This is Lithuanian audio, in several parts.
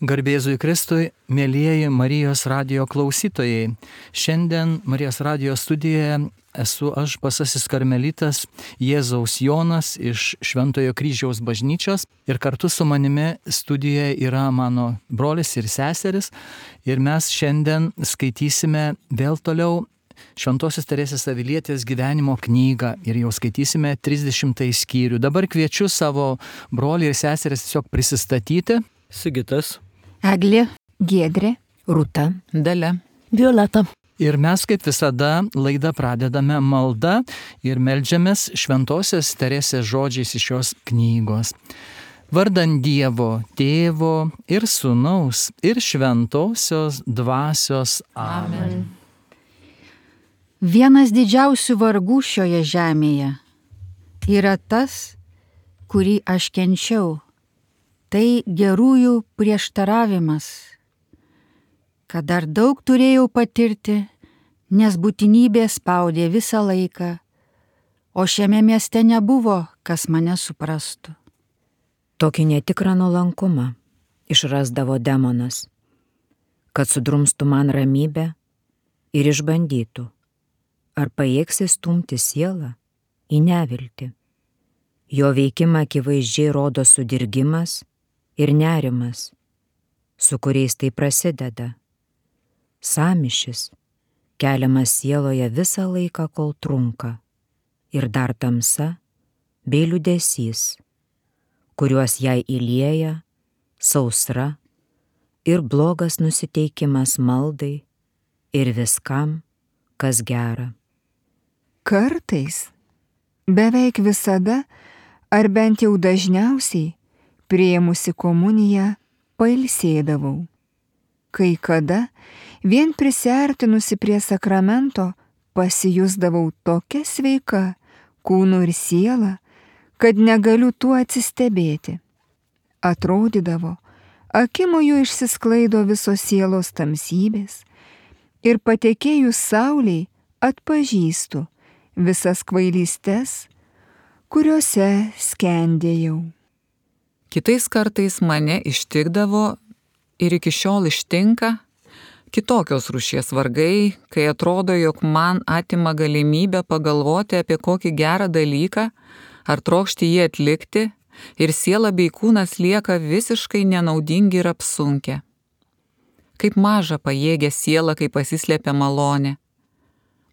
Garbėzui Kristui, mėlyjeji Marijos radijo klausytojai. Šiandien Marijos radijo studijoje esu aš, Basasis karmelitas Jėzaus Jonas iš Šventojo Kryžiaus bažnyčios ir kartu su manimi studijoje yra mano brolis ir seseris ir mes šiandien skaitysime vėl toliau Šventosios Teresės Avilietės gyvenimo knygą ir jau skaitysime 30 skyrių. Dabar kviečiu savo brolį ir seseris tiesiog prisistatyti. Sigitas, Eglė, Giedrė, Rūta, Dalia, Violeta. Ir mes kaip visada laidą pradedame malda ir meldžiamės Šventosios Teresės žodžiais iš šios knygos. Vardan Dievo, Tėvo ir Sūnaus ir Šventosios Dvasios. Amen. Vienas didžiausių vargų šioje žemėje yra tas, kurį aš kenčiau. Tai gerųjų prieštaravimas, kad dar daug turėjau patirti, nes būtinybė spaudė visą laiką, o šiame mieste nebuvo, kas mane suprastų. Tokį netikrą nuolankumą išrasdavo demonas, kad sudrumstų man ramybę ir išbandytų, ar pajėgsi stumti sielą į neviltį. Jo veikimą akivaizdžiai rodo sudirgimas ir nerimas, su kuriais tai prasideda. Sąmyšis keliamas sieloje visą laiką, kol trunka, ir dar tamsa bei liūdesys, kuriuos jai įlieja sausra ir blogas nusiteikimas maldai ir viskam, kas gera. Kartais, beveik visada, ar bent jau dažniausiai, priėmusi komuniją, pailsėdavau. Kai kada, vien prisiartinusi prie sakramento, pasijusdavau tokia sveika, kūnu ir siela, kad negaliu tuo atsistebėti. Atrodydavo, akimoju išsisklaido visos sielos tamsybės ir patekėjus saulei atpažįstu visas kvailystes, kuriuose skendėjau. Kitais kartais mane ištikdavo ir iki šiol ištinka kitokios rūšies vargai, kai atrodo, jog man atima galimybę pagalvoti apie kokį gerą dalyką ar trokšti jį atlikti ir siela bei kūnas lieka visiškai nenaudingi ir apsunkę. Kaip maža pajėgia siela, kai pasislėpia malonė.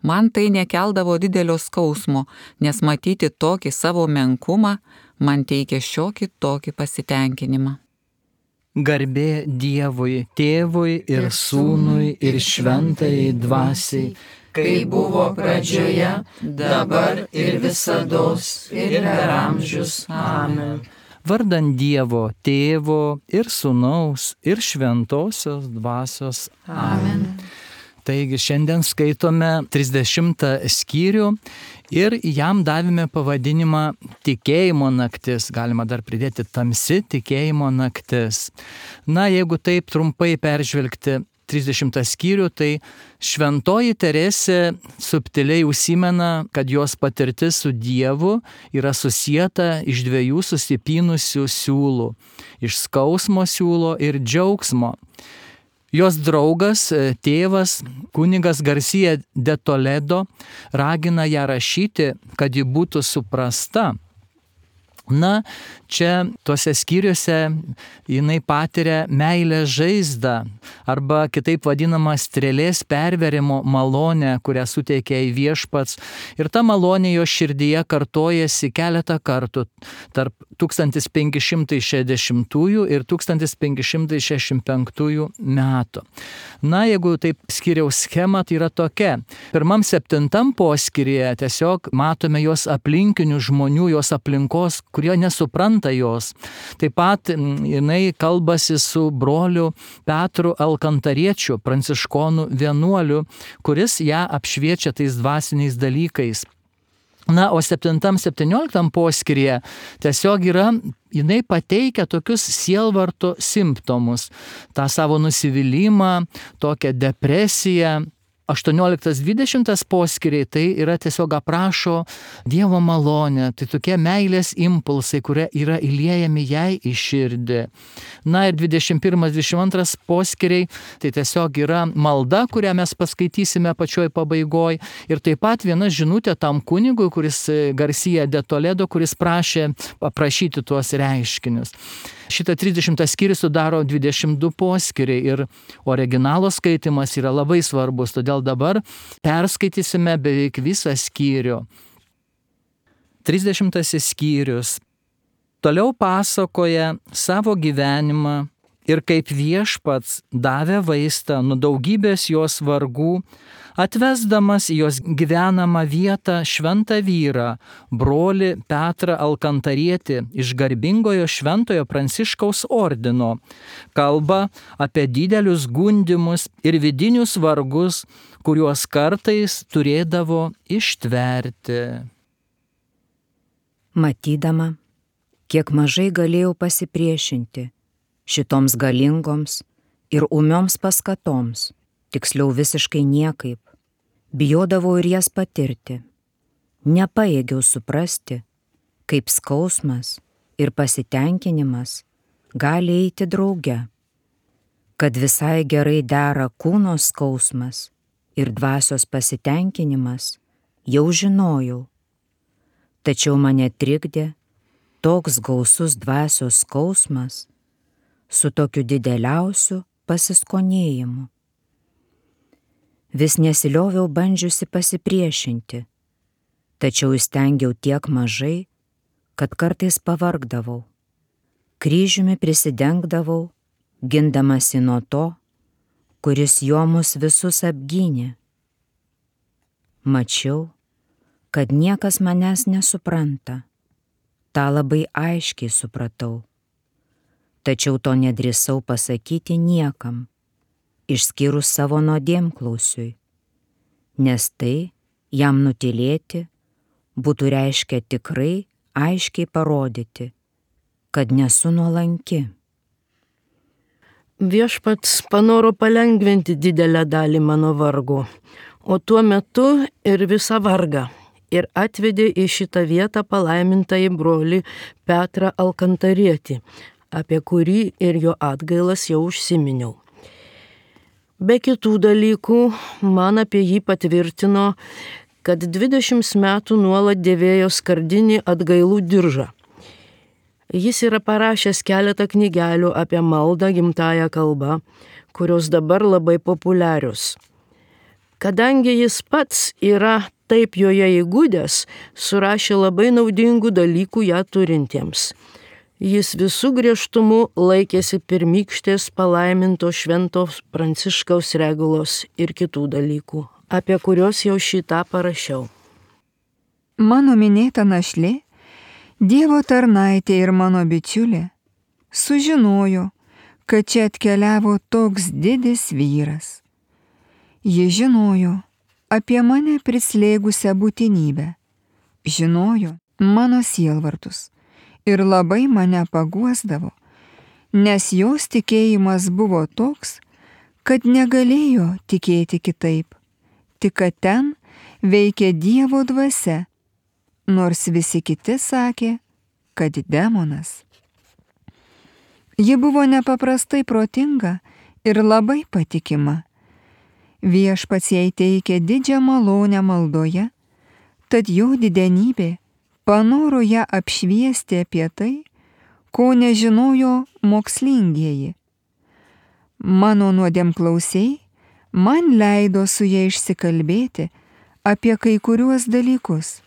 Man tai nekeldavo didelio skausmo, nes matyti tokį savo menkumą man teikia šiokį tokį pasitenkinimą. Garbė Dievui, Tėvui ir Sūnui ir Šventajai Dvasiai, kai buvo pradžioje, dabar ir visados ir per amžius. Amen. Vardan Dievo, Tėvo ir Sūnaus ir Šventosios Dvasios. Amen. Taigi šiandien skaitome 30 skyrių ir jam davėme pavadinimą Tikėjimo naktis, galima dar pridėti tamsi tikėjimo naktis. Na, jeigu taip trumpai peržvelgti 30 skyrių, tai Šventoji Teresė subtiliai užsimena, kad jos patirtis su Dievu yra susieta iš dviejų susipynusių siūlų, iš skausmo siūlo ir džiaugsmo. Jos draugas, tėvas, kunigas Garcia de Toledo ragina ją rašyti, kad ji būtų suprasta. Na, čia tuose skyriuose jinai patiria meilės žaizdą arba kitaip vadinama strėlės perverimo malonę, kurią suteikia į Viešpats. Ir ta malonė jo širdyje kartojasi keletą kartų tarp 1560 ir 1565 metų. Na, jeigu taip skyriaus schema, tai yra tokia. 1-7 poskyryje tiesiog matome jos aplinkinių žmonių, jos aplinkos, kurie nesupranta jos. Taip pat jinai kalbasi su broliu Petru Alkantariečiu, pranciškonų vienuoliu, kuris ją apšviečia tais dvasiniais dalykais. Na, o 7-17 poskyryje tiesiog jinai pateikia tokius sielvarto simptomus. tą savo nusivylimą, tokią depresiją, 18-20 poskyriai tai yra tiesiog aprašo Dievo malonę, tai tokie meilės impulsai, kurie yra įliejami jai į širdį. Na ir 21-22 poskyriai tai tiesiog yra malda, kurią mes paskaitysime pačioj pabaigoj. Ir taip pat viena žinutė tam kunigui, kuris Garcia de Toledo, kuris prašė aprašyti tuos reiškinius. Šitą 30 skyrių sudaro 22 poskyriai ir originalo skaitimas yra labai svarbus, todėl dabar perskaitysime beveik visą skyrių. 30 skyrius. Toliau pasakoja savo gyvenimą ir kaip Viešpats davė vaistą nuo daugybės jos vargų, atvesdamas į jos gyvenamą vietą šventą vyrą, brolį Petrą Alkantarietį iš garbingojo šventojo Pranciškaus ordino, kalba apie didelius gundymus ir vidinius vargus, kuriuos kartais turėdavo ištverti. Matydama, kiek mažai galėjau pasipriešinti šitoms galingoms ir ūmioms paskatoms, tiksliau visiškai niekaip, bijodavau ir jas patirti. Nepajėgiau suprasti, kaip skausmas ir pasitenkinimas gali eiti drauge, kad visai gerai dera kūno skausmas ir dvasios pasitenkinimas, jau žinojau. Tačiau mane trikdė toks gausus dvasios skausmas su tokiu dideliausiu pasiskonėjimu. Vis nesilioviau bandžiusi pasipriešinti, tačiau įstengiau tiek mažai, kad kartais pavargdavau. Kryžiumi prisidengdavau, gindamasi nuo to, kuris jo mus visus apgynė. Mačiau, kad niekas manęs nesupranta. Ta labai aiškiai supratau. Tačiau to nedrįsau pasakyti niekam, išskyrus savo nuodėmklausiui, nes tai jam nutylėti būtų reiškę tikrai aiškiai parodyti, kad nesu nuolanki. Viešpats panoro palengventi didelę dalį mano vargo, o tuo metu ir visą vargą, ir atvedė į šitą vietą palaimintąjį brolį Petrą Alkantarietį, apie kurį ir jo atgailas jau užsiminiau. Be kitų dalykų, man apie jį patvirtino, kad 20 metų nuolat dėvėjo skardinį atgailų diržą. Jis yra parašęs keletą knygelių apie maldą gimtąją kalbą, kurios dabar labai populiarios. Kadangi jis pats yra taip joje įgudęs, surašė labai naudingų dalykų ją turintiems. Jis visų griežtumų laikėsi pirmykštės palaiminto šventos Pranciškaus regulos ir kitų dalykų, apie kuriuos jau šitą parašiau. Mano minėta našlė, Dievo tarnaitė ir mano bičiulė, sužinojo, kad čia atkeliavo toks didis vyras. Ji žinojo apie mane prislėgusią būtinybę, žinojo mano sielvartus ir labai mane paguosdavo, nes jos tikėjimas buvo toks, kad negalėjo tikėti kitaip, tik kad ten veikė Dievo dvasia, nors visi kiti sakė, kad demonas. Ji buvo nepaprastai protinga ir labai patikima. Viešpats jai teikė didžią malonę maldoje, tad jo didenybė panoro ją apšviesti apie tai, ko nežinojo mokslingieji. Mano nuodėmklausiai man leido su ja išsikalbėti apie kai kuriuos dalykus,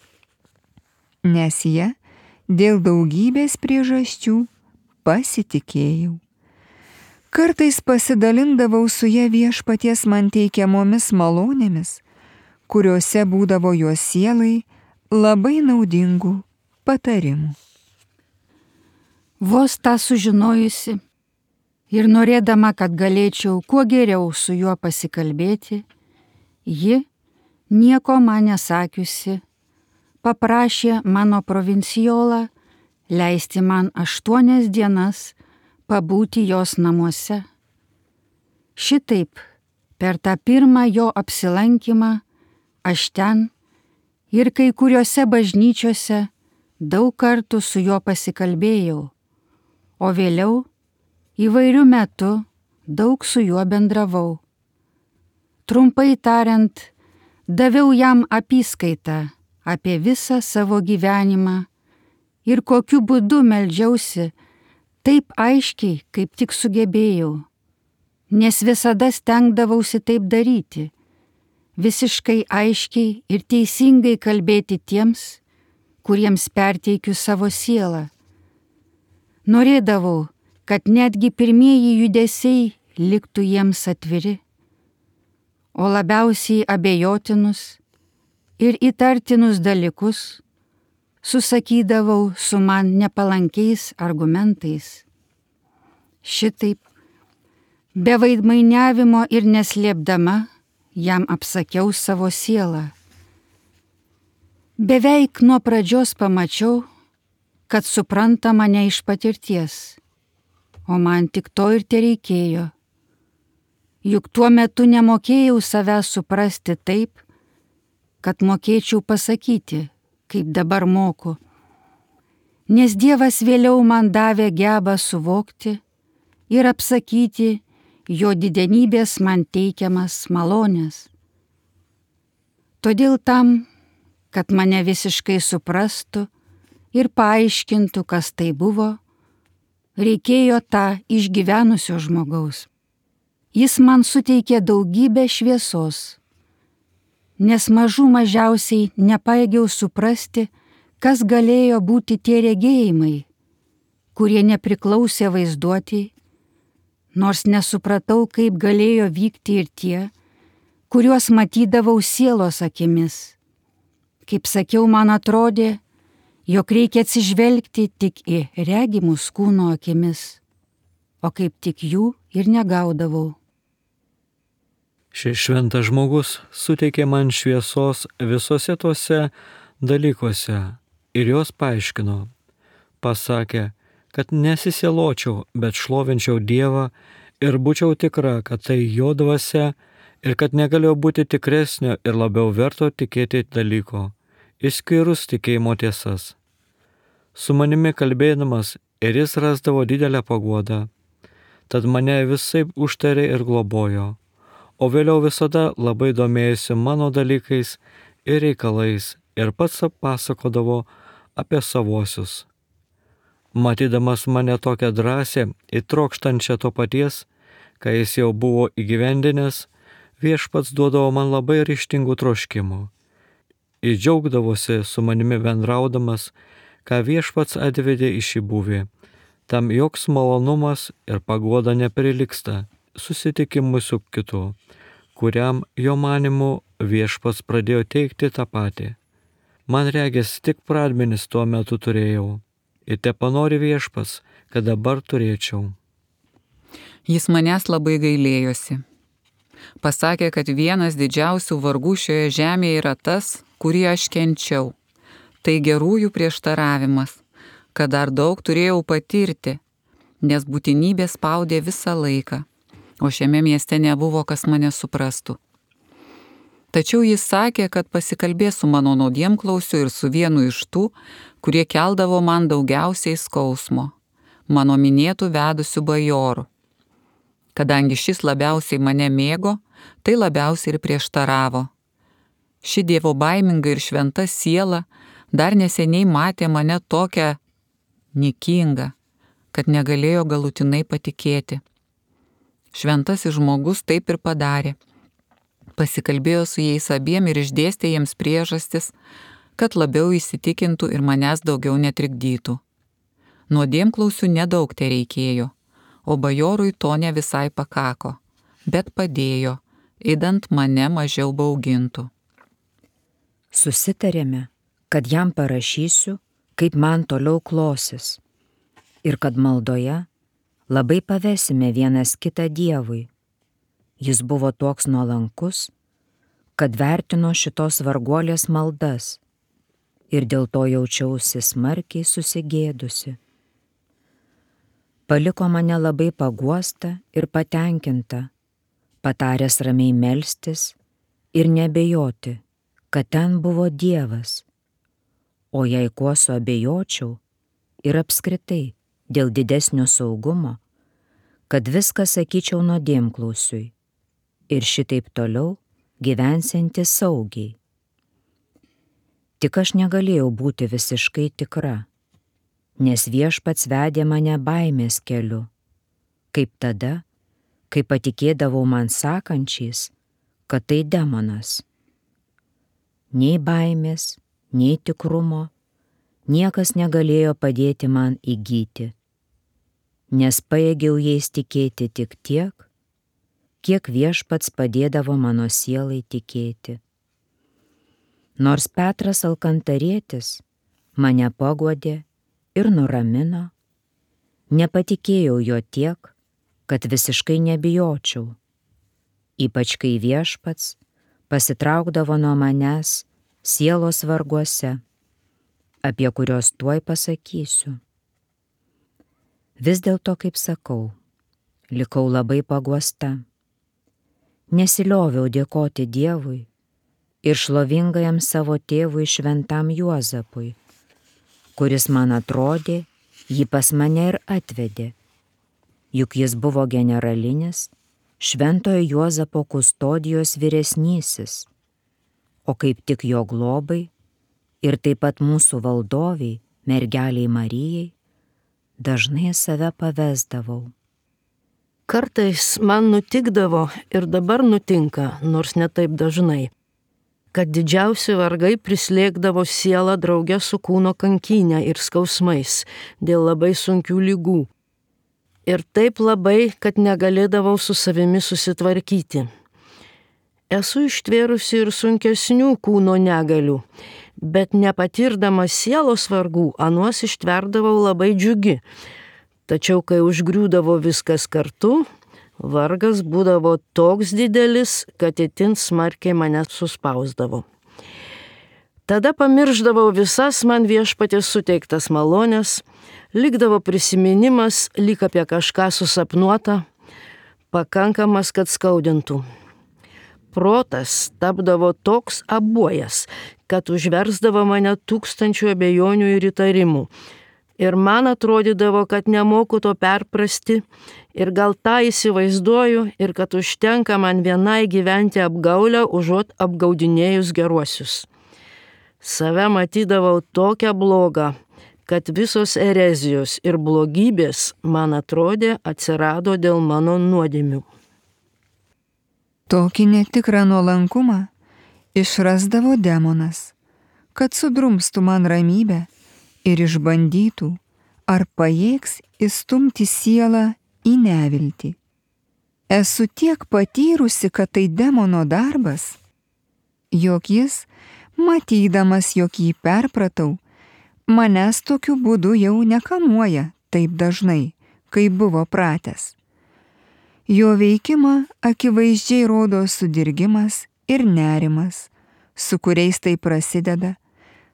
nes jie dėl daugybės priežasčių pasitikėjau. Kartais pasidalindavau su ja Viešpaties man teikiamomis malonėmis, kuriuose būdavo jos sielai labai naudingų patarimų. Vos tą sužinojusi ir norėdama, kad galėčiau kuo geriau su juo pasikalbėti, ji, nieko man nesakiusi, paprašė mano provincijolą leisti man 8 dienas pabūti jos namuose. Šitaip Per tą pirmą jo apsilankymą aš ten ir kai kuriuose bažnyčiose daug kartų su juo pasikalbėjau, o vėliau įvairių metų daug su juo bendravau. Trumpai tariant, daviau jam apyskaitą apie visą savo gyvenimą ir kokiu būdu meldžiausi taip aiškiai, kaip tik sugebėjau, nes visada stengdavausi taip daryti, visiškai aiškiai ir teisingai kalbėti tiems, kuriems perteikiu savo sielą. Norėdavau, kad netgi pirmieji judesiai liktų jiems atviri, o labiausiai abejotinus ir įtartinus dalykus susakydavau su man nepalankiais argumentais. Šitaip, be vaidmainiavimo ir neslėpdama, jam apsakiau savo sielą. Beveik nuo pradžios pamačiau, kad supranta mane iš patirties, o man tik to ir tereikėjo. Juk tuo metu nemokėjau savęs suprasti taip, kad mokėčiau pasakyti, kaip dabar moku. Nes Dievas vėliau man davė gebą suvokti ir apsakyti jo didenybės man teikiamas malonės. Todėl tam, kad mane visiškai suprastų ir paaiškintų, kas tai buvo, reikėjo tą išgyvenusio žmogaus. Jis man suteikė daugybę šviesos, nes mažiausiai nepajėgiau suprasti, kas galėjo būti tie regėjimai, kurie nepriklausė vaizduotei, nors nesupratau, kaip galėjo vykti ir tie, kuriuos matydavau sielos akimis. Kaip sakiau, man atrodė, jog reikia atsižvelgti tik į regimus kūno akimis, o kaip tik jų ir negaudavau. Šis šventas žmogus suteikė man šviesos visose tuose dalykuose ir jos paaiškino. Pasakė, kad nesisieločiau, bet šlovinčiau Dievą ir būčiau tikra, kad tai jo dvasia ir kad negalėjo būti tikresnio ir labiau verto tikėti dalyko, išskyrus tikėjimo tiesas. Su manimi kalbėdamas ir jis rasdavo didelę paguodą, tad mane visaip užtarė ir globojo, o vėliau visada labai domėjosi mano dalykais ir reikalais ir pats pasakodavo apie savuosius. Matydamas mane tokią drąsią ir trokštančią to paties, kai jis jau buvo įgyvendinęs, Viešpats duodavo man labai ryžtingų troškimų. Jis džiaugdavosi su manimi bendraudamas, ką Viešpats atvedė į šį buvį. Tam joks malonumas ir paguoda neprilygsta susitikimui su kitu, kuriam jo manimu Viešpats pradėjo teikti tą patį. Man regis tik pradmenis tuo metu turėjau. Ir tepanori Viešpats, kad dabar turėčiau. Jis manęs labai gailėjosi. Pasakė, kad vienas didžiausių vargų šioje žemėje yra tas, kurį aš kenčiau. Tai gerųjų prieštaravimas, kad dar daug turėjau patirti, nes būtinybė spaudė visą laiką, o šiame mieste nebuvo, kas mane suprastų. Tačiau jis sakė, kad pasikalbės su mano nuodėmklausiu ir su vienu iš tų, kurie keldavo man daugiausiai skausmo, mano minėtų vedusių bajorų. Kadangi šis labiausiai mane mėgo, tai labiausiai ir prieštaravo. Ši dievo baiminga ir šventa siela dar neseniai matė mane tokią niekingą, kad negalėjo galutinai patikėti. Šventasis žmogus taip ir padarė. Pasikalbėjo su jais abiem ir išdėstė jiems priežastis, kad labiau įsitikintų ir manęs daugiau netrikdytų. Nuodėmklausių nedaug tereikėjo, o bajorui to ne visai pakako, bet padėjo, idant mane mažiau baugintų. Susitarėme, kad jam parašysiu, kaip man toliau klosis, ir kad maldoje labai pavesime vienas kitą Dievui. Jis buvo toks nuolankus, kad vertino šitos varguolės maldas ir dėl to jaučiausi smarkiai susigėdusi. Paliko mane labai paguostą ir patenkintą, pataręs ramiai melstis ir nebejoti, kad ten buvo Dievas. O jei kuo suabejočiau ir apskritai dėl didesnio saugumo, kad viską sakyčiau nuodėmklausiui ir šitaip toliau gyvensianti saugiai. Tik aš negalėjau būti visiškai tikra, nes Viešpats vedė mane baimės keliu, kaip tada, kai patikėdavau man sakančiais, kad tai demonas. Nei baimės, nei tikrumo niekas negalėjo padėti man įgyti, nes pajėgiau jais tikėti tik tiek, kiek Viešpats padėdavo mano sielai tikėti. Nors Petras Alkantarietis mane paguodė ir nuramino, nepatikėjau jo tiek, kad visiškai nebijočiau, ypač kai Viešpats pasitraukdavo nuo manęs sielos varguose, apie kuriuos tuoj pasakysiu. Vis dėlto, kaip sakau, likau labai paguosta. Nesilioviau dėkoti Dievui ir šlovingajam savo tėvui šventam Juozapui, kuris man atrodė, jį pas mane ir atvedė, juk jis buvo generalinis šventojo Juozapo kustodijos vyresnysis, o kaip tik jo globai ir taip pat mūsų valdoviai, mergeliai Marijai, dažnai save pavesdavau. Kartais man nutikdavo ir dabar nutinka, nors ne taip dažnai, kad didžiausi vargai prislėgdavo sielą drauge su kūno kankynė ir skausmais dėl labai sunkių lygų. Ir taip labai, kad negalėdavau su savimi susitvarkyti. Esu ištvėrusi ir sunkesnių kūno negalių, bet nepatirdamas sielos vargų, anuos ištverdavau labai džiugi. Tačiau, kai užgriūdavo viskas kartu, vargas būdavo toks didelis, kad itin smarkiai mane suspausdavo. Tada pamirždavau visas man Viešpaties suteiktas malonės, likdavo prisiminimas, lyg apie kažką susapnuota, pakankamas, kad skaudintų. Protas tapdavo toks abuojas, kad užversdavo mane tūkstančių abejonių ir įtarimų. Ir man atrodydavo, kad nemoku to perprasti ir gal tą įsivaizduoju ir kad užtenka man vienai gyventi apgaulę, užuot apgaudinėjus geruosius. Save matydavau tokią blogą, kad visos erezijos ir blogybės, man atrodė, atsirado dėl mano nuodėmių. Tokį netikrą nuolankumą išrasdavo demonas, kad sudrumstų man ramybę ir išbandytų, ar pajėgs įstumti sielą į neviltį. Esu tiek patyrusi, kad tai demono darbas, jog jis, matydamas, jog jį perpratau, manęs tokiu būdu jau nekamuoja taip dažnai, kaip buvo pratęs. Jo veikimą akivaizdžiai rodo sudirgimas ir nerimas, su kuriais tai prasideda,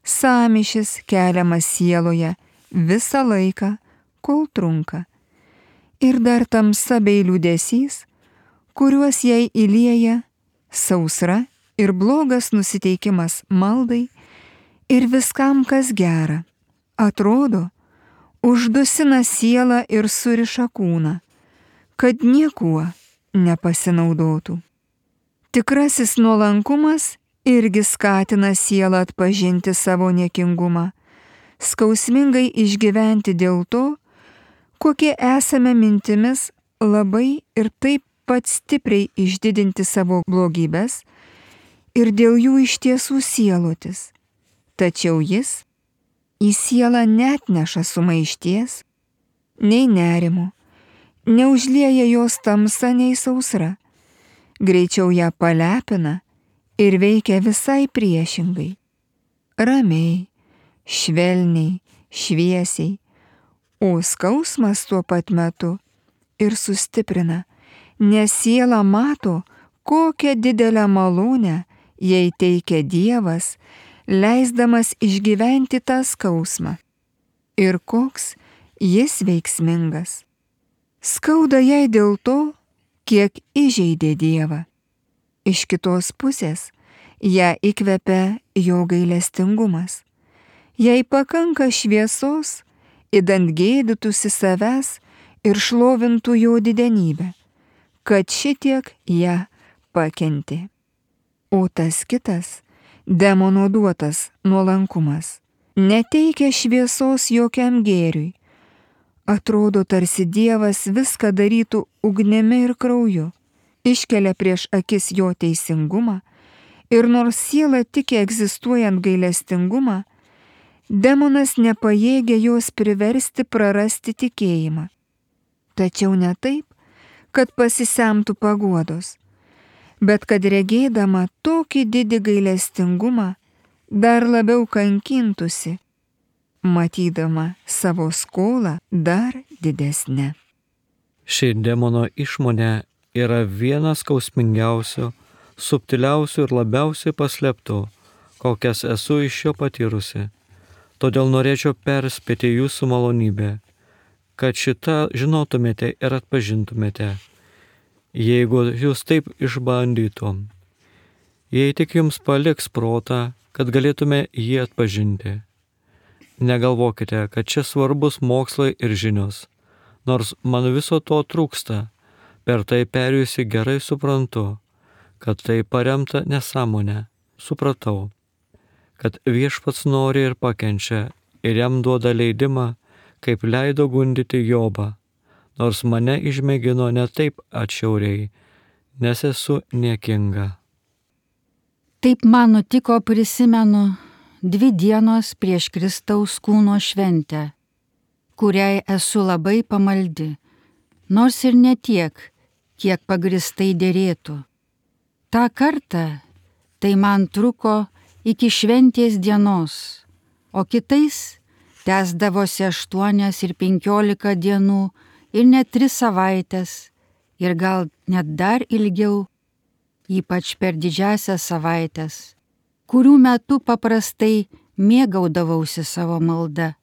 sąmyšis keliamas sieloje visą laiką, kol trunka, ir dar tamsa bei liūdesys, kuriuos jai įlieja sausra ir blogas nusiteikimas maldai ir viskam, kas gera, atrodo, uždusina sielą ir suriša kūną, kad niekuo nepasinaudotų. Tikrasis nuolankumas irgi skatina sielą atpažinti savo niekingumą, skausmingai išgyventi dėl to, kokie esame mintimis, labai ir taip pat stipriai išdidinti savo blogybes ir dėl jų iš tiesų sielotis. Tačiau jis į sielą neatneša sumaišties, nei nerimo, neužlieja jos tamsa nei sausra, greičiau ją palepina ir veikia visai priešingai. Ramiai, švelniai, šviesiai, o skausmas tuo pat metu ir sustiprina, nes siela mato, kokią didelę malonę jai teikia Dievas, leisdamas išgyventi tą skausmą. Ir koks jis veiksmingas. Skauda jai dėl to, kiek įžeidė Dievą. Iš kitos pusės ją įkvepia jo gailestingumas. Jei pakanka šviesos, idant gėdytųsi savęs ir šlovintų jo didenybę, kad šitiek ją pakentė. O tas kitas, demono duotas nuolankumas, neteikia šviesos jokiam gėriui. Atrodo, tarsi Dievas viską darytų ugnimi ir krauju, iškelia prieš akis jo teisingumą ir nors siela tiki egzistuojant gailestingumą, demonas nepajėgia jos priversti prarasti tikėjimą. Tačiau ne taip, kad pasisemtų paguodos, bet kad regėdama tokį didį gailestingumą dar labiau kankintųsi, matydama savo skolą dar didesnę. Ši demono išmonė yra vienas skausmingiausių, subtiliausių ir labiausiai paslėptų, kokias esu iš jo patyrusi. Todėl norėčiau perspėti jūsų malonybę, kad šitą žinotumėte ir atpažintumėte, jeigu jūs taip išbandytum. Jei tik jums paliks protą, kad galėtume jį atpažinti. Negalvokite, kad čia svarbus mokslai ir žinios, nors man viso to trūksta, per tai perėjusi gerai suprantu, kad tai paremta nesąmonė. Supratau, kad Viešpats nori ir pakenčia ir jam duoda leidimą, kaip leido gundyti Jobą, nors mane išmėgino ne taip atšiauriai, nes esu niekinga. Taip man nutiko, prisimenu, 2 dienos prieš Kristaus kūno šventę, kuriai esu labai pamaldi, nors ir ne tiek, kiek pagristai dėrėtų. Ta kartą tai man truko iki šventės dienos, o kitais tęsdavosi 8 ir 15 dienų ir net 3 savaitės ir gal net dar ilgiau, ypač per didžiąsias savaitės, kurių metu paprastai mėgaudavausi savo malda.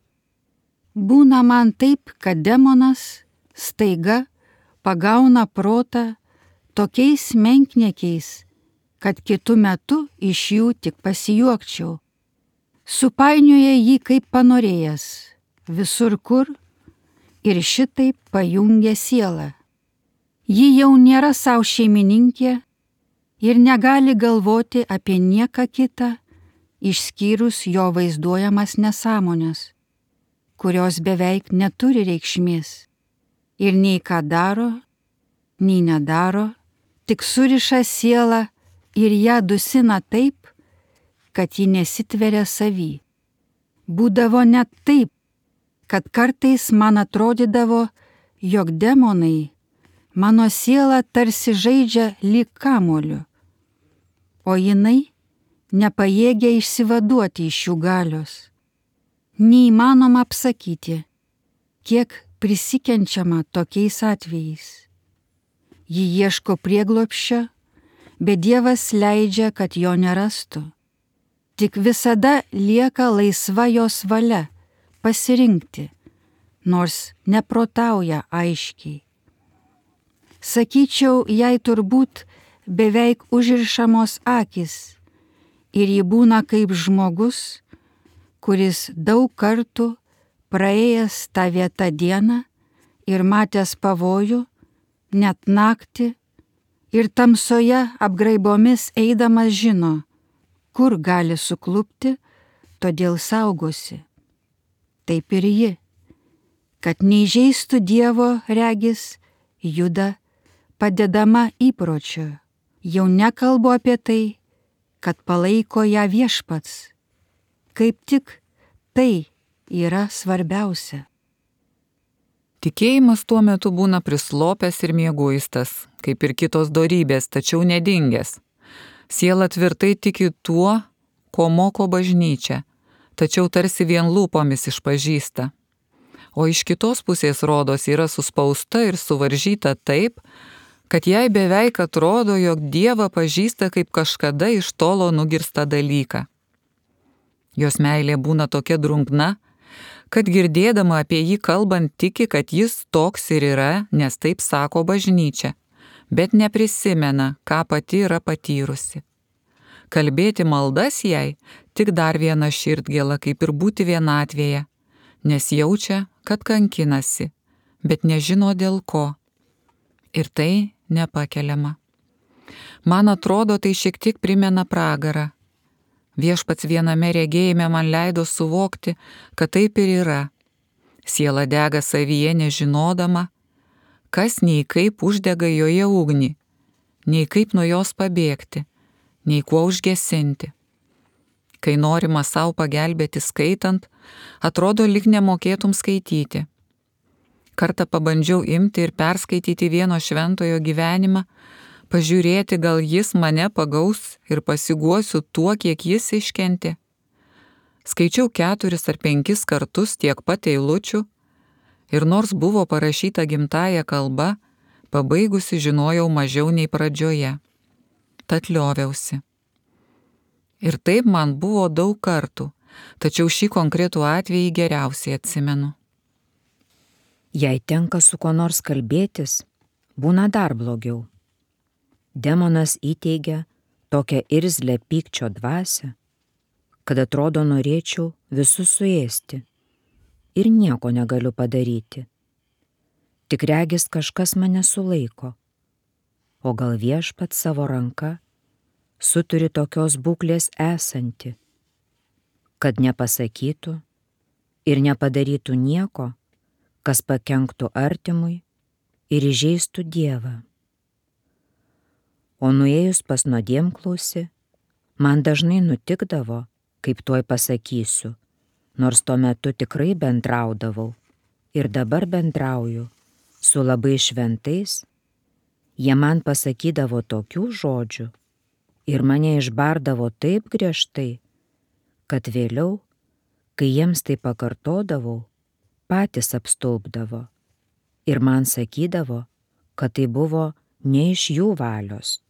Būna man taip, kad demonas staiga pagauna protą tokiais menkniekiais, kad kitu metu iš jų tik pasijuokčiau. Supainioja jį kaip panorėjęs, visur kur, ir šitaip pajungia sielą. Ji jau nėra savo šeimininkė ir negali galvoti apie nieką kitą, išskyrus jo vaizduojamas nesąmonės, kurios beveik neturi reikšmės ir nei ką daro, nei nedaro, tik suriša sielą ir ją dusina taip, kad ji nesitveria savy. Būdavo net taip, kad kartais man atrodydavo, jog demonai mano sielą tarsi žaidžia lyg kamuoliu, o jinai nepajėgia išsivaduoti iš jų galios. Neįmanoma apsakyti, kiek prisikenčiama tokiais atvejais. Ji ieško prieglobsčio, bet Dievas leidžia, kad jo nerastų. Tik visada lieka laisva jos valia pasirinkti, nors neprotauja aiškiai. Sakyčiau, jai turbūt beveik užrišamos akis ir ji būna kaip žmogus, kuris daug kartų praėjęs tą vietą dieną ir matęs pavojų, net naktį, ir tamsoje apgraibomis eidamas žino, kur gali suklupti, todėl saugosi. Taip ir ji, kad neįžeistų Dievo regis, juda padedama įpročio. Jau nekalbu apie tai, kad palaiko ją Viešpats. Kaip tik tai yra svarbiausia. Tikėjimas tuo metu būna prislopęs ir mieguistas, kaip ir kitos dorybės, tačiau nedingęs. Siela tvirtai tiki tuo, ko moko bažnyčia, tačiau tarsi vien lūpomis išpažįsta. O iš kitos pusės rodos yra suspausta ir suvaržyta taip, kad jai beveik atrodo, jog Dievą pažįsta kaip kažkada iš tolo nugirstą dalyką. Jos meilė būna tokia drungna, kad girdėdama apie jį kalbant tiki, kad jis toks ir yra, nes taip sako bažnyčia. bet neprisimena, ką pati yra patyrusi. Kalbėti maldas jai tik dar viena širdgėla, kaip ir būti vienatvėje, nes jaučia, kad kankinasi, bet nežino dėl ko. Ir tai nepakeliama. Man atrodo, tai šiek tiek primena pragarą. Viešpats viename regėjime man leido suvokti, kad taip ir yra. Siela dega savyje nežinodama, kas nei kaip uždega joje ugnį, nei kaip nuo jos pabėgti, nei kuo užgesinti. Kai norima savo pagelbėti skaitant, atrodo lyg nemokėtum skaityti. Kartą pabandžiau imti ir perskaityti vieno šventojo gyvenimą, pažiūrėti, gal jis mane pagaus ir pasiguosiu tuo, kiek jis iškentė. Skaičiau 4 ar 5 kartus tiek pat eilučių ir nors buvo parašyta gimtąja kalba, pabaigusi žinojau mažiau nei pradžioje. Tad lioviausi. Ir taip man buvo daug kartų, tačiau šį konkretų atvejį geriausiai atsimenu. Jei tenka su kuo nors kalbėtis, būna dar blogiau. Demonas įteigia tokią irzlę pykčio dvasią, kad atrodo norėčiau visus suėsti ir nieko negaliu padaryti. Tik regis kažkas mane sulaiko, o gal Viešpats savo ranka suturi tokios būklės esanti, kad nepasakytų ir nepadarytų nieko, kas pakenktų artimui ir įžeistų Dievą. O nuėjus pas nuodėmklausį, man dažnai nutikdavo, kaip tuoj pasakysiu, nors tuo metu tikrai bendraudavau ir dabar bendrauju su labai šventais, jie man pasakydavo tokių žodžių ir mane išbardavo taip griežtai, kad vėliau, kai jiems tai pakartodavau, patys apstulbdavo ir man sakydavo, kad tai buvo ne iš jų valios.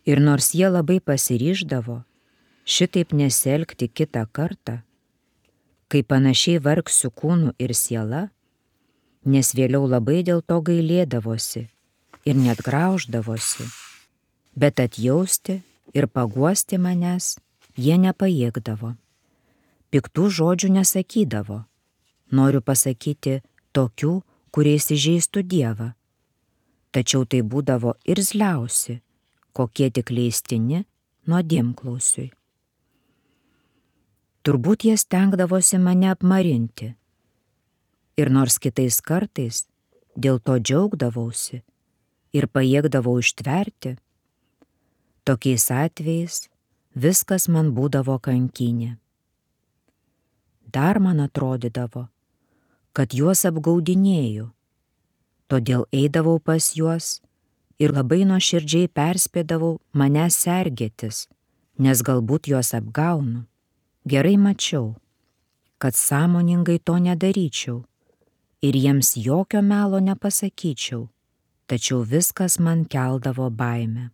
Ir nors jie labai pasiryždavo šitaip nesielgti kitą kartą, kai panašiai vargsiu kūnu ir siela, nes vėliau labai dėl to gailėdavosi ir net grauždavosi, bet atjausti ir paguosti manęs jie nepajėgdavo. Piktų žodžių nesakydavo, noriu pasakyti tokių, kuriais įžeistų Dievą, tačiau tai būdavo irzliausi, kokie tik leistini nuodėmklausiui. Turbūt jie stengdavosi mane apmarinti. Ir nors kitais kartais dėl to džiaugdavausi ir pajėgdavau ištverti, tokiais atvejais viskas man būdavo kankinė. Dar man atrodydavo, kad juos apgaudinėju, todėl eidavau pas juos ir labai nuoširdžiai perspėdavau mane sergėtis, nes galbūt juos apgaunu. Gerai mačiau, kad sąmoningai to nedaryčiau ir jiems jokio melo nepasakyčiau, tačiau viskas man keldavo baimę.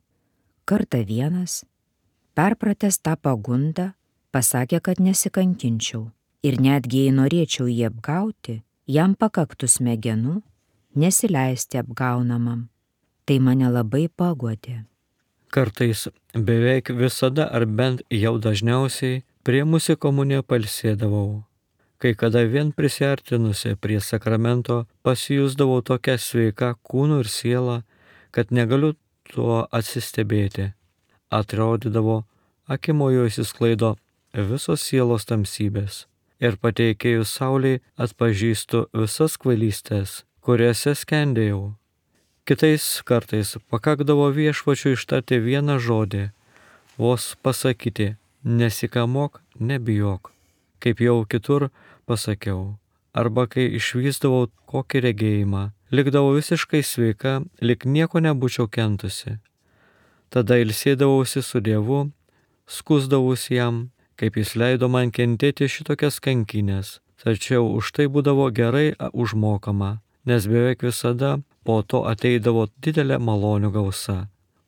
Kartą vienas, perpratęs tą pagundą, pasakė, kad nesikankinčiau ir netgi jei norėčiau jį apgauti, jam pakaktų smegenų nesileisti apgaunamam. Tai mane labai paguodė. Kartais beveik visada ar bent jau dažniausiai priėmusi komuniją pailsėdavau. Kai kada vien prisiartinusi prie sakramento pasijusdavau tokia sveika kūnu ir siela, kad negaliu tuo atsistebėti. Atrodydavo, akimojo įsisklaido visos sielos tamsybės ir pateikėjus saulei atpažįstu visas kvailystės, kuriuose skendėjau. Kitais kartais pakakdavo Viešpačiui ištarti vieną žodį, vos pasakyti, nesikamok, nebijok, kaip jau kitur pasakiau, arba kai išvysdavau kokį regėjimą, likdavau visiškai sveika, lyg nieko nebūčiau kentusi. Tada ilsėdavausi su Dievu, skusdavausi jam, kaip jis leido man kentėti šitokias kankinės, tačiau už tai būdavo gerai užmokama, nes beveik visada po to ateidavo didelė malonių gausa.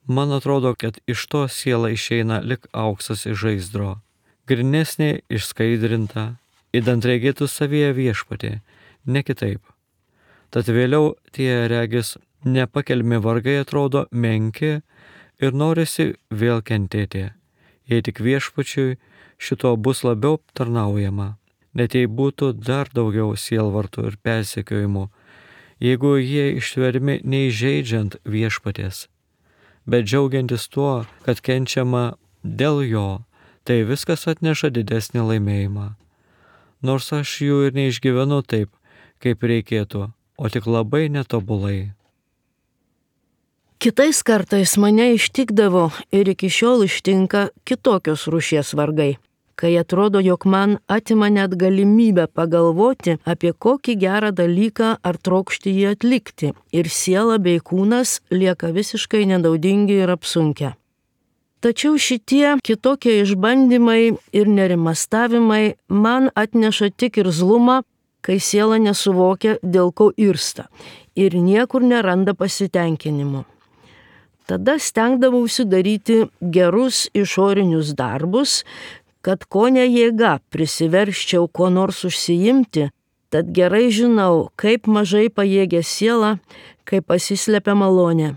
Man atrodo, kad iš to siela išeina lik auksas iš žaizdro, grynesnė išskaidrinta, idant regėtų savyje Viešpatį, ne kitaip. Tad vėliau tie regis nepakelmi vargai atrodo menki ir norisi vėl kentėti, jei tik viešpačiui šito bus labiau tarnaujama, net jei būtų dar daugiau sielvartų ir persekiojimų, jeigu jie ištvermi neįžeidžiant viešpaties, bet džiaugiantis tuo, kad kenčiama dėl jo, tai viskas atneša didesnį laimėjimą. Nors aš jų ir neišgyvenu taip, kaip reikėtų, o tik labai netobulai. Kitais kartais mane ištikdavo ir iki šiol ištinka kitokios rūšies vargai, kai atrodo, jog man atima net galimybę pagalvoti apie kokį gerą dalyką ar trokšti jį atlikti, ir siela bei kūnas lieka visiškai nenaudingi ir apsunkę. Tačiau šitie kitokie išbandymai ir nerimastavimai man atneša tik irzlumą, kai siela nesuvokia, dėl ko irsta ir niekur neranda pasitenkinimo. Tada stengdavausi daryti gerus išorinius darbus, kad ko ne jėga prisiversčiau ko nors užsiimti, tad gerai žinau, kaip mažai pajėgia siela, kai pasislepia malonė.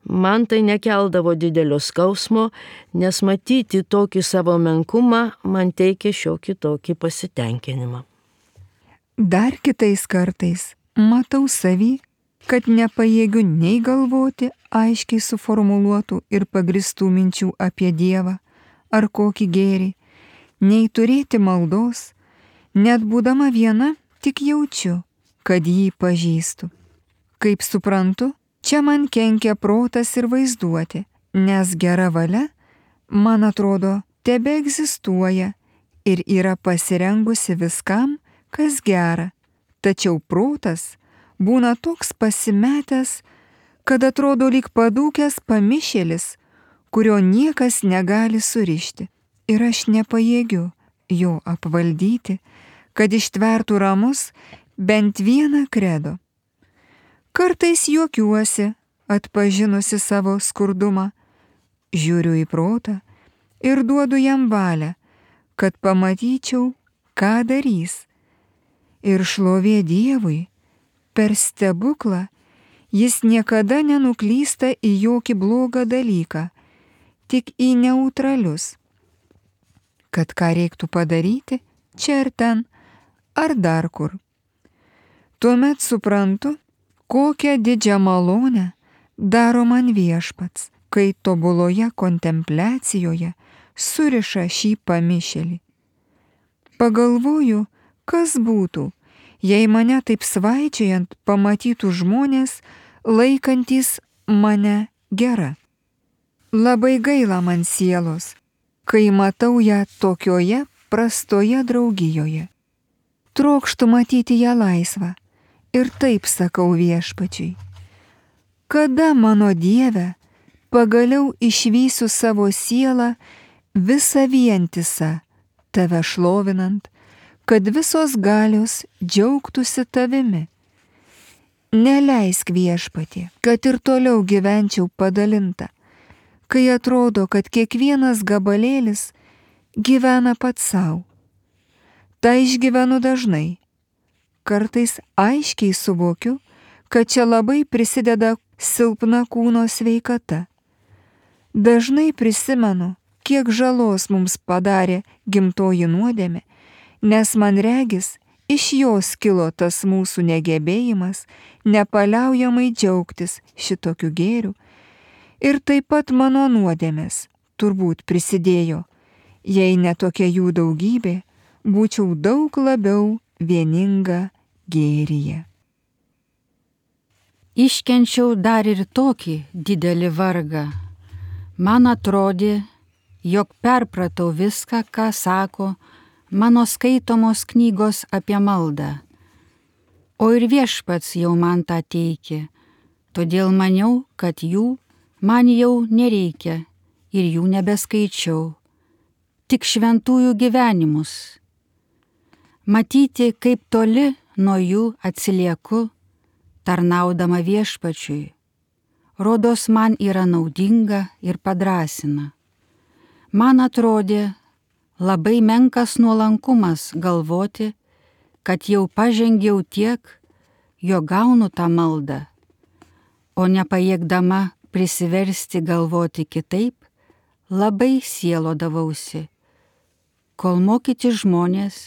Man tai nekeldavo didelio skausmo, nes matyti tokį savo menkumą man teikia šiokį tokį pasitenkinimą. Dar kitais kartais matau savį, kad nepajėgiu nei galvoti aiškiai suformuluotų ir pagristų minčių apie Dievą ar kokį gėrį, nei turėti maldos, net būdama viena tik jaučiu, kad jį pažįstu. Kaip suprantu, čia man kenkia protas ir vaizduotė, nes gera valia, man atrodo, tebe egzistuoja ir yra pasirengusi viskam, kas gera. Tačiau protas būna toks pasimetęs, kad atrodo lyg padūkęs pamišėlis, kurio niekas negali surišti. Ir aš nepajėgiu jo apvaldyti, kad ištvertų ramus bent vieną kredo. Kartais juokiuosi, atpažinusi savo skurdumą, žiūriu į protą ir duodu jam valią, kad pamatyčiau, ką darys. Ir šlovė Dievui, per stebuklą jis niekada nenuklysta į jokį blogą dalyką, tik į neutralius. Kad ką reiktų padaryti, čia ir ten, ar dar kur. Tuomet suprantu, kokią didžią malonę daro man viešpats, kai tobuloje kontempliacijoje suriša šį pamišėlį. Pagalvoju, kas būtų, jei mane taip svaičiojant pamatytų žmonės, laikantys mane gera. Labai gaila man sielos, kai matau ją tokioje prastoje draugijoje. Trokštu matyti ją laisvą. Ir taip sakau viešpačiui, kada mano Dieve pagaliau išvysiu savo sielą visą vientisą, tave šlovinant, kad visos galios džiaugtųsi tavimi. Neleisk viešpatie, kad ir toliau gyvenčiau padalinta, kai atrodo, kad kiekvienas gabalėlis gyvena pats savo. Tai išgyvenu dažnai. Kartais aiškiai suvokiu, kad čia labai prisideda silpna kūno sveikata. Dažnai prisimenu, kiek žalos mums padarė gimtoji nuodėmė, nes man regis, iš jos kilo tas mūsų negebėjimas nepaliaujamai džiaugtis šitokiu gėriu, ir taip pat mano nuodėmės turbūt prisidėjo, jei ne tokia jų daugybė, būčiau daug labiau vieninga gėryje. Iškenčiau dar ir tokį didelį vargą. Man atrodė, jog perpratau viską, ką sako mano skaitomos knygos apie maldą. O ir viešpats jau man tą teikė, todėl maniau, kad jų man jau nereikia ir jų nebeskaičiau, tik šventųjų gyvenimus. Matyti, kaip toli nuo jų atsilieku, tarnaudama viešpačiui, rodos man yra naudinga ir padrasina. Man atrodė labai menkas nuolankumas galvoti, kad jau pažengiau tiek, jo gaunu tą maldą, o nepajėgdama prisiversti galvoti kitaip, labai sielodavausi, kol mokyti žmonės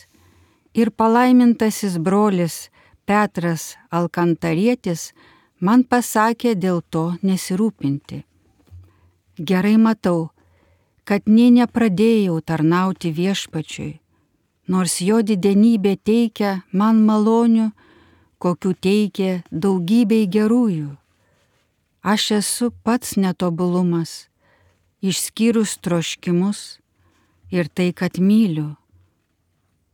ir palaimintasis brolis Petras Alkantarietis man pasakė dėl to nesirūpinti. Gerai matau, kad nė nepradėjau tarnauti Viešpačiui, nors jo didenybė teikia man malonių, kokių teikia daugybei gerųjų. Aš esu pats netobulumas, išskyrus troškimus ir tai, kad myliu.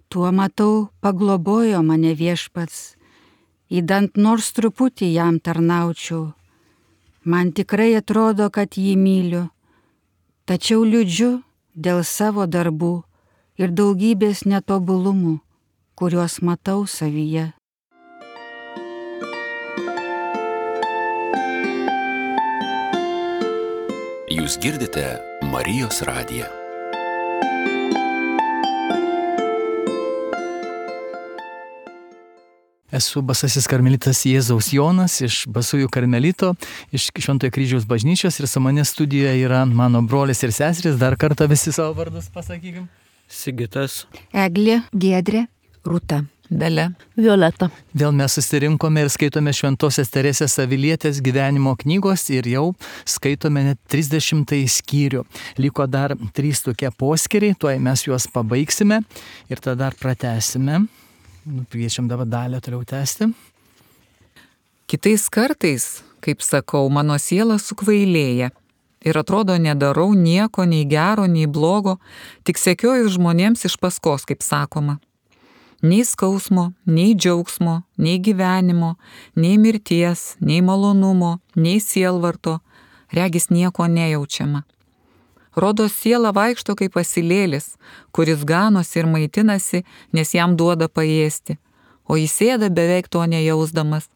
Tuo matau, paglobojo mane Viešpats, įdant nors truputį jam tarnaučiau. Man tikrai atrodo, kad jį myliu, tačiau liūdžiu dėl savo darbų ir daugybės netobulumų, kuriuos matau savyje. Jūs girdite Marijos radiją. Esu Basasis karmelitas Jėzaus Jonas iš Basųjų karmelito, iš Šventojo kryžiaus bažnyčios ir su manęs studijoje yra mano brolis ir seserys. Dar kartą visi savo vardus pasakykim. Sigitas, Eglė, Giedrė, Rūta, Dalia, Violeta. Vėl mes susirinkome ir skaitome Šventosios Teresės Avilietės gyvenimo knygos ir jau skaitome net 30 skyrių. Liko dar 3 tokie poskyriai, tuoj mes juos pabaigsime ir tada dar pratęsime. Kviečiam dabar Dalę toliau tęsti. Kitais kartais, kaip sakau, mano siela sukvailėja ir atrodo nedarau nieko, nei gero, nei blogo, tik sekioju žmonėms iš paskos, kaip sakoma. Nei skausmo, nei džiaugsmo, nei gyvenimo, nei mirties, nei malonumo, nei sielvarto, regis nieko nejaučiama. Rodos siela vaikšto kaip asilėlis, kuris ganosi ir maitinasi, nes jam duoda paėsti, o jis ėda beveik to nejausdamas.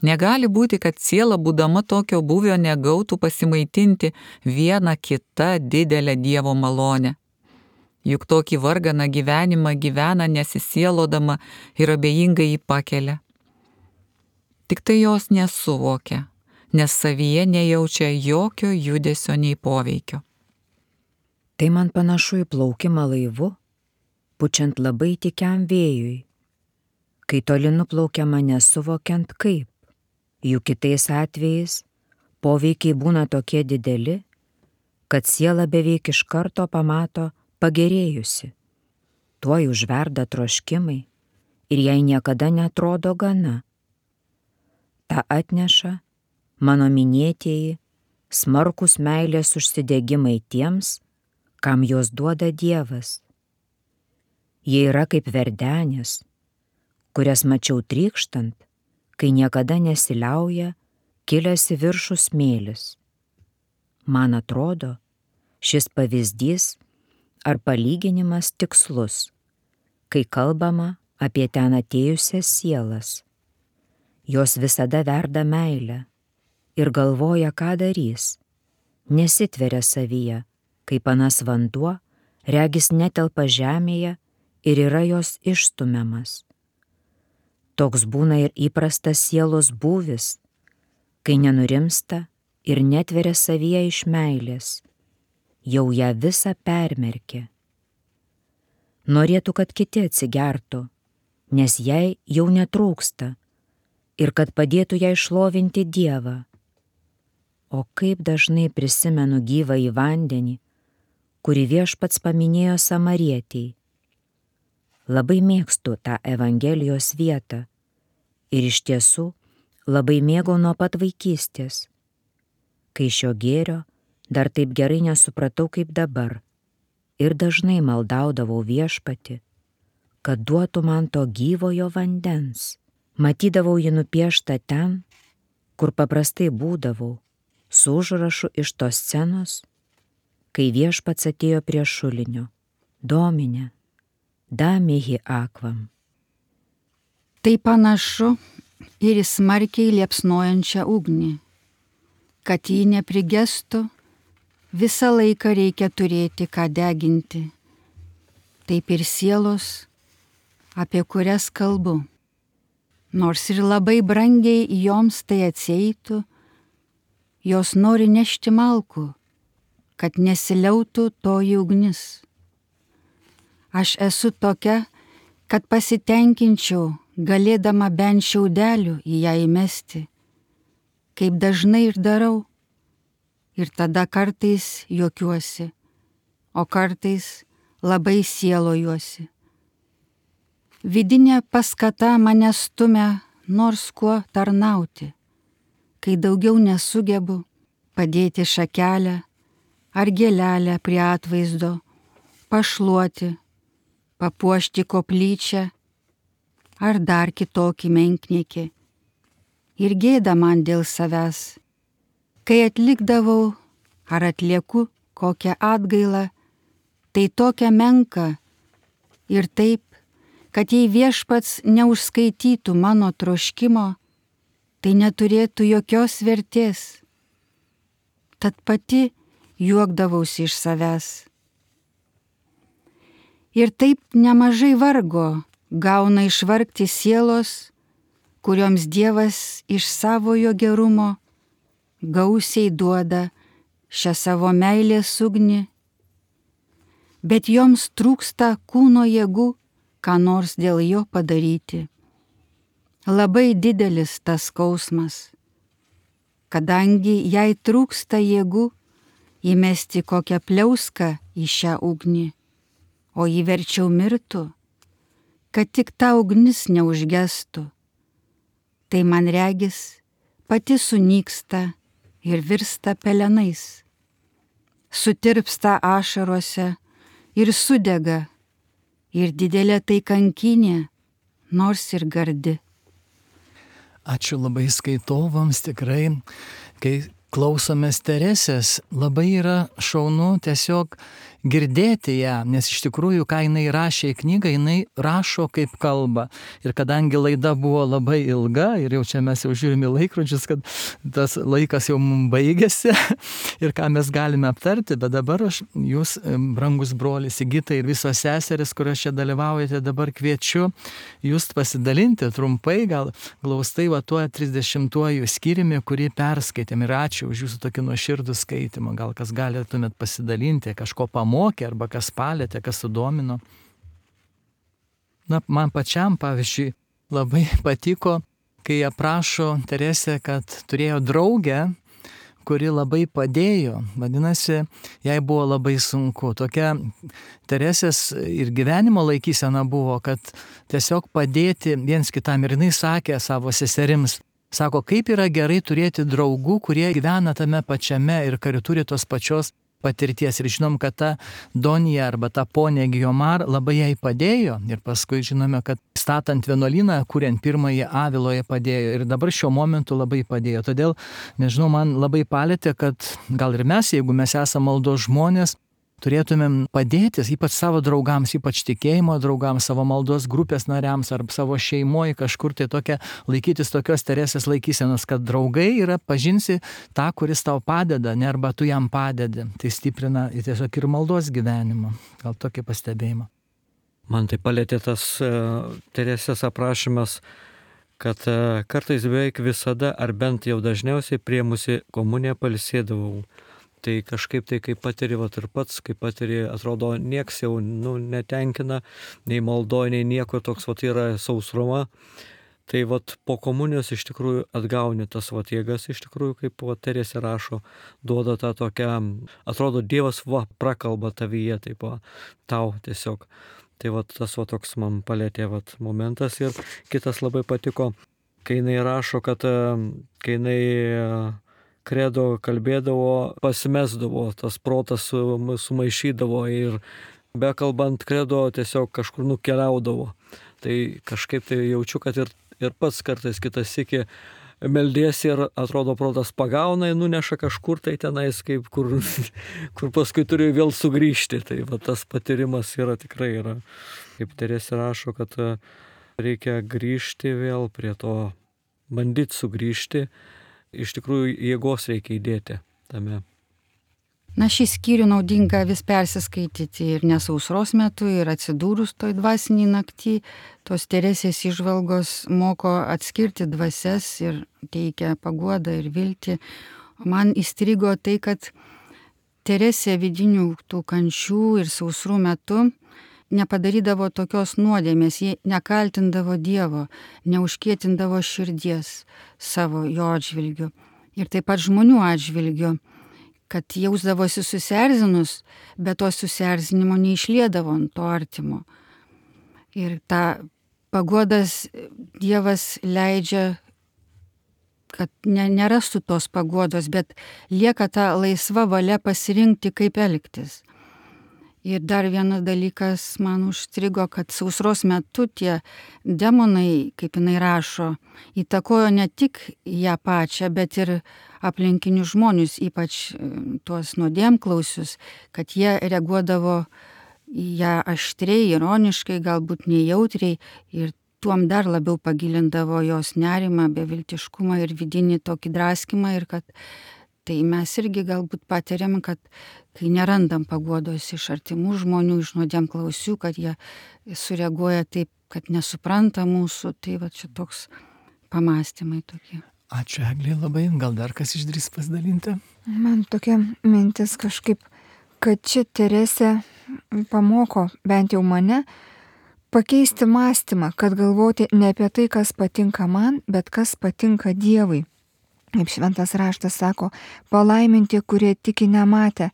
Negali būti, kad siela, būdama tokio buvio, negautų pasimaitinti vieną kitą didelę Dievo malonę. Juk tokį varganą gyvenimą gyvena nesisielodama ir abejingai jį pakelia. Tik tai jos nesuvokia, nes savyje nejaučia jokio judesio nei poveikio. Tai man panašu į plaukimą laivu, pučiant labai tykiam vėjui, kai toli nuplaukiama nesuvokiant kaip. Juk kitais atvejais poveikiai būna tokie dideli, kad siela beveik iš karto pamato pagerėjusi. Tuoj užverda troškimai ir jai niekada netrodo gana. Ta atneša mano minėtieji smarkus meilės užsidegimai tiems, kam jos duoda Dievas. Jie yra kaip verdenės, kurias mačiau trykštant, kai niekada nesiliauja kilęs į viršų smėlis. Man atrodo, šis pavyzdys ar palyginimas tikslus, kai kalbama apie ten atėjusias sielas. Jos visada verda meilę ir galvoja, ką darys, nesitveria savyje, kaip anas vanduo, regis netelpa žemėje ir yra jos išstumiamas. Toks būna ir įprastas sielos būvis, kai nenurimsta ir netveria savyje iš meilės, jau ją visą permerkė. Norėtų, kad kiti atsigertų, nes jai jau netrūksta ir kad padėtų jai šlovinti Dievą. O kaip dažnai prisimenu gyvą į vandenį, kurį Viešpats paminėjo Samarietei. Labai mėgstu tą Evangelijos vietą ir iš tiesų labai mėgau nuo pat vaikystės, kai šio gėrio dar taip gerai nesupratau kaip dabar ir dažnai maldaudavau Viešpatį, kad duotų man to gyvojo vandens. Matydavau jį nupieštą ten, kur paprastai būdavau, su užrašu iš tos scenos, kai Viešpats atėjo prie šulinio. Domine, damihi akvam. Tai panašu ir į smarkiai liepsnojančią ugnį. Kad ji neprigestų, visą laiką reikia turėti ką deginti. Taip ir sielos, apie kurias kalbu. Nors ir labai brangiai joms tai atsieitų, jos nori nešti malkų, kad nesiliautų toji ugnis. Aš esu tokia, kad pasitenkinčiau, galėdama bent šiaudelių į ją įmesti, kaip dažnai ir darau, ir tada kartais juokiuosi, o kartais labai sielojuosi. Vidinė paskata mane stumia nors kuo tarnauti, kai daugiau nesugebu padėti šakelę ar gėlelę prie atvaizdo, pašluoti, papuošti koplyčią ar dar kitokį menkniekį. Ir gėda man dėl savęs, kai atlikdavau ar atlieku kokią atgailą, tai tokia menka ir taip, kad jei Viešpats neužskaitytų mano troškimo, tai neturėtų jokios vertės. Tad pati juokdavausi iš savęs. Ir taip nemažai vargo gauna išvargti sielos, kurioms Dievas iš savojo gerumo gausiai duoda šią savo meilės ugnį, bet joms trūksta kūno jėgų, ką nors dėl jo padaryti. Labai didelis tas skausmas, kadangi jai trūksta jėgų įmesti kokią pliauską į šią ugnį, o jį verčiau mirtų, kad tik ta ugnis neužgestų. Tai man regis pati sunyksta ir virsta pelenais, sutirpsta ašarose ir sudega, ir didelė tai kankinė, nors ir gardi. Ačiū labai skaitovams, tikrai, kai klausomės Teresės, labai yra šaunu tiesiog girdėti ją, nes iš tikrųjų, ką jinai rašė į knygą, jinai rašo kaip kalba. Ir kadangi laida buvo labai ilga, ir jau čia mes jau žiūrime laikrodžius, kad tas laikas jau mums baigėsi ir ką mes galime aptarti, bet dabar jūs, brangus brolis Sigita ir visos seseris, kurios čia dalyvaujate, dabar kviečiu jūs pasidalinti trumpai, gal glaustai va tuo 30-uoju skyriumi, kurį perskaitėm. Ir ačiū už jūsų tokį nuoširdų skaitimą. Gal kas galėtumėt pasidalinti, kažko pamokė, arba kas palėtė, kas sudomino. Na, man pačiam, pavyzdžiui, labai patiko, kai aprašo Teresė, kad turėjo draugę, kuri labai padėjo. Vadinasi, jai buvo labai sunku. Tokia Teresės ir gyvenimo laikysena buvo, kad tiesiog padėti viens kitam. Ir jinai sakė savo seserims, sako, kaip yra gerai turėti draugų, kurie gyvena tame pačiame ir kuri turi tos pačios patirties. Ir žinom, kad ta Donija arba ta ponė Gijomar labai jai padėjo. Ir paskui žinome, kad statant vienuolyną, kuriant pirmąjį Aviloje padėjo. Ir dabar šiuo momentu labai padėjo. Todėl, nežinau, man labai palėtė, kad gal ir mes, jeigu mes esame maldos žmonės, turėtumėm padėti, ypač savo draugams, ypač tikėjimo draugams, savo maldos grupės nariams ar savo šeimoje kažkur tai tokia, laikytis tokios Teresės laikysenos, kad draugai yra pažinsi tą, kuris tau padeda, ne arba tu jam padedi. Tai stiprina tiesiog ir maldos gyvenimą. Gal tokį pastebėjimą. Man tai palėtė tas Teresės aprašymas, kad kartais beveik visada, ar bent jau dažniausiai priemusi komuniją pailsėdavau. Tai kažkaip tai, kai patiri, ir pats, kai patiri, atrodo, nieks jau netenkina, nei maldoje, nei nieko, toks yra sausruma. Tai po komunijos iš tikrųjų atgauni tas jėgas, iš tikrųjų, kaip Teresė rašo, duoda tą tokią, atrodo, Dievas prakalba tavyje, taip tau tiesiog. Tai tas toks man palėtė momentas. Ir kitas labai patiko, kai jinai rašo, kad kai jinai kredo kalbėdavo, pasimesdavo, tas protas sumaišydavo ir bekalbant kredo tiesiog kažkur nukeliaudavo. Tai kažkaip tai jaučiu, kad ir pats kartais kitas sykį meldiesi ir atrodo protas pagauna, nuneša kažkur tai tenais, kur paskui turi vėl sugrįžti. Tai tas patyrimas tikrai yra. Kaip Teresė rašo, kad reikia grįžti vėl prie to, bandyti sugrįžti. Iš tikrųjų jėgos reikia įdėti tame. Na, šį skyrių naudinga vis persiskaityti ir nesausros metu, ir atsidūrus toj dvasiniai naktį. Tos Teresės įžvalgos moko atskirti dvasias ir teikia paguodą ir viltį. Man įstrigo tai, kad Teresė vidinių tų kančių ir sausrų metu nepadarydavo tokios nuodėmės, ji nekaltindavo Dievo, neužkietindavo širdies savo jo atžvilgiu ir taip pat žmonių atžvilgiu, kad jausdavosi susierzinus, bet to susierzinimo neišliedavo ant to artimo. Ir tą paguodas Dievas leidžia, kad nerastų tos paguodos, bet lieka ta laisva valia pasirinkti, kaip elgtis. Ir dar vienas dalykas man užstrigo, kad sausros metu tie demonai, kaip jinai rašo, įtakojo ne tik ją pačią, bet ir aplinkinius žmonius, ypač tuos nuodėmklausius, kad jie reaguodavo į ją aštriai, ironiškai, galbūt nejautriai ir tuom dar labiau pagilindavo jos nerimą, beviltiškumą ir vidinį tokį draskimą ir kad tai mes irgi galbūt patiriam, kad kai nerandam paguodos iš artimų žmonių, iš nuodėmklausių, kad jie sureaguoja taip, kad nesupranta mūsų, tai va čia toks pamastymai tokie. Ačiū Eglė labai, gal dar kas išdrįs pasidalinti? Man tokia mintis kažkaip, kad čia Teresė pamoko bent jau mane pakeisti mąstymą, kad galvoti ne apie tai, kas patinka man, bet kas patinka Dievui. Kaip šventas raštas sako, palaiminti, kurie tiki nematę.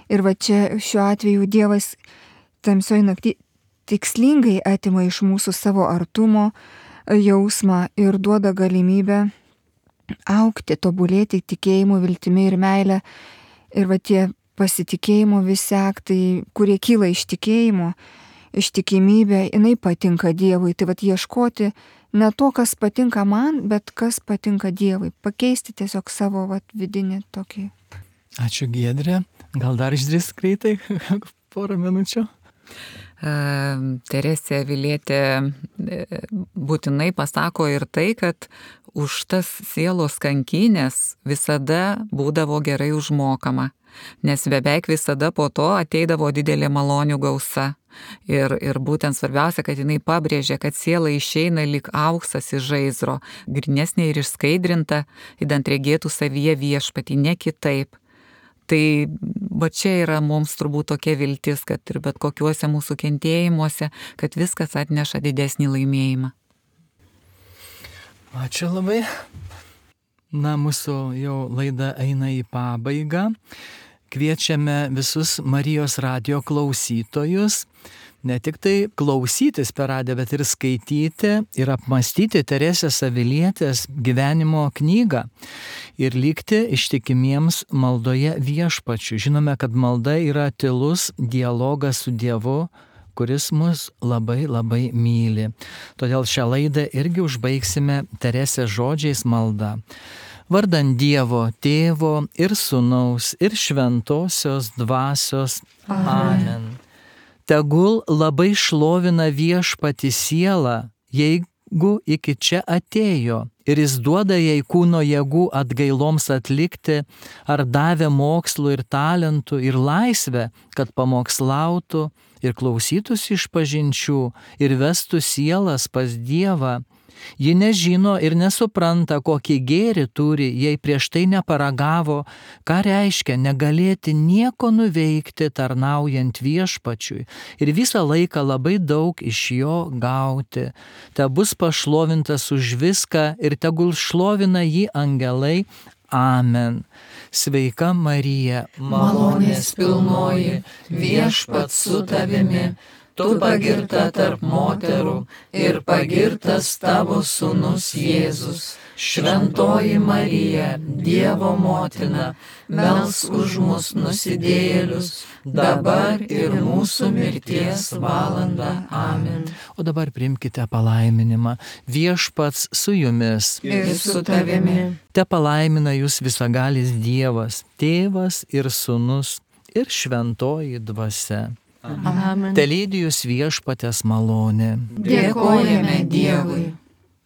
Ir va čia šiuo atveju Dievas tamsioj naktį tikslingai atima iš mūsų savo artumo jausmą ir duoda galimybę augti, tobulėti tikėjimu, viltimi ir meile. Ir va tie pasitikėjimo visi aktai, kurie kyla iš tikėjimo, ištikimybė, jinai patinka Dievui. Tai vat ieškoti ne to, kas patinka man, bet kas patinka Dievui. Pakeisti tiesiog savo vidinį tokį. Ačiū Giedrė. Gal dar išdrįs greitai porą minučių? Teresė Avilietė būtinai pasako ir tai, kad už tas sielos kankynės visada būdavo gerai užmokama, nes beveik visada po to ateidavo didelė malonių gausa. Ir būtent svarbiausia, kad jinai pabrėžė, kad siela išeina lyg auksas iš žaizro, grynesnė ir išskaidrinta, idant regėtų savyje viešpatį, ne kitaip. Tai va čia yra mums turbūt tokia viltis, kad ir bet kokiuose mūsų kentėjimuose, kad viskas atneša didesnį laimėjimą. Ačiū labai. Na, mūsų jau laida eina į pabaigą. Kviečiame visus Marijos radijo klausytojus ne tik tai klausytis per radiją, bet ir skaityti ir apmastyti Teresės Avilietės gyvenimo knygą ir likti ištikimiems maldoje viešpačiu. Žinome, kad malda yra tylus dialogas su Dievu, kuris mus labai labai myli. Todėl šią laidą irgi užbaigsime Teresės žodžiais malda. Vardan Dievo, Tėvo ir Sūnaus ir Šventosios Dvasios. Amen. Tegul labai šlovina viešpatį sielą, jeigu iki čia atėjo ir jis duoda jai kūno jėgų atgailoms atlikti, ar davė mokslų ir talentų ir laisvę, kad pamokslautų ir klausytųsi išpažinčių ir vestų sielas pas Dievą. Ji nežino ir nesupranta, kokį gėrį turi, jei prieš tai neparagavo, ką reiškia negalėti nieko nuveikti tarnaujant viešpačiui ir visą laiką labai daug iš jo gauti. Te bus pašlovintas už viską ir tegul šlovina jį angelai. Amen. Sveika Marija, malonės pilnoji, viešpats su tavimi. Tu pagirta tarp moterų ir pagirtas tavo sūnus Jėzus. Šventoji Marija, Dievo motina, melsk už mus nusidėjėlius, dabar ir mūsų mirties valandą. Amen. O dabar priimkite palaiminimą. Viešpats su jumis. Ir su tavimi. Te palaimina jūs visagalis Dievas, Tėvas ir Sūnus ir Šventoji Dvasia. Amen. Telydį jūs viešpatės malonė. Dėkojame Dievui.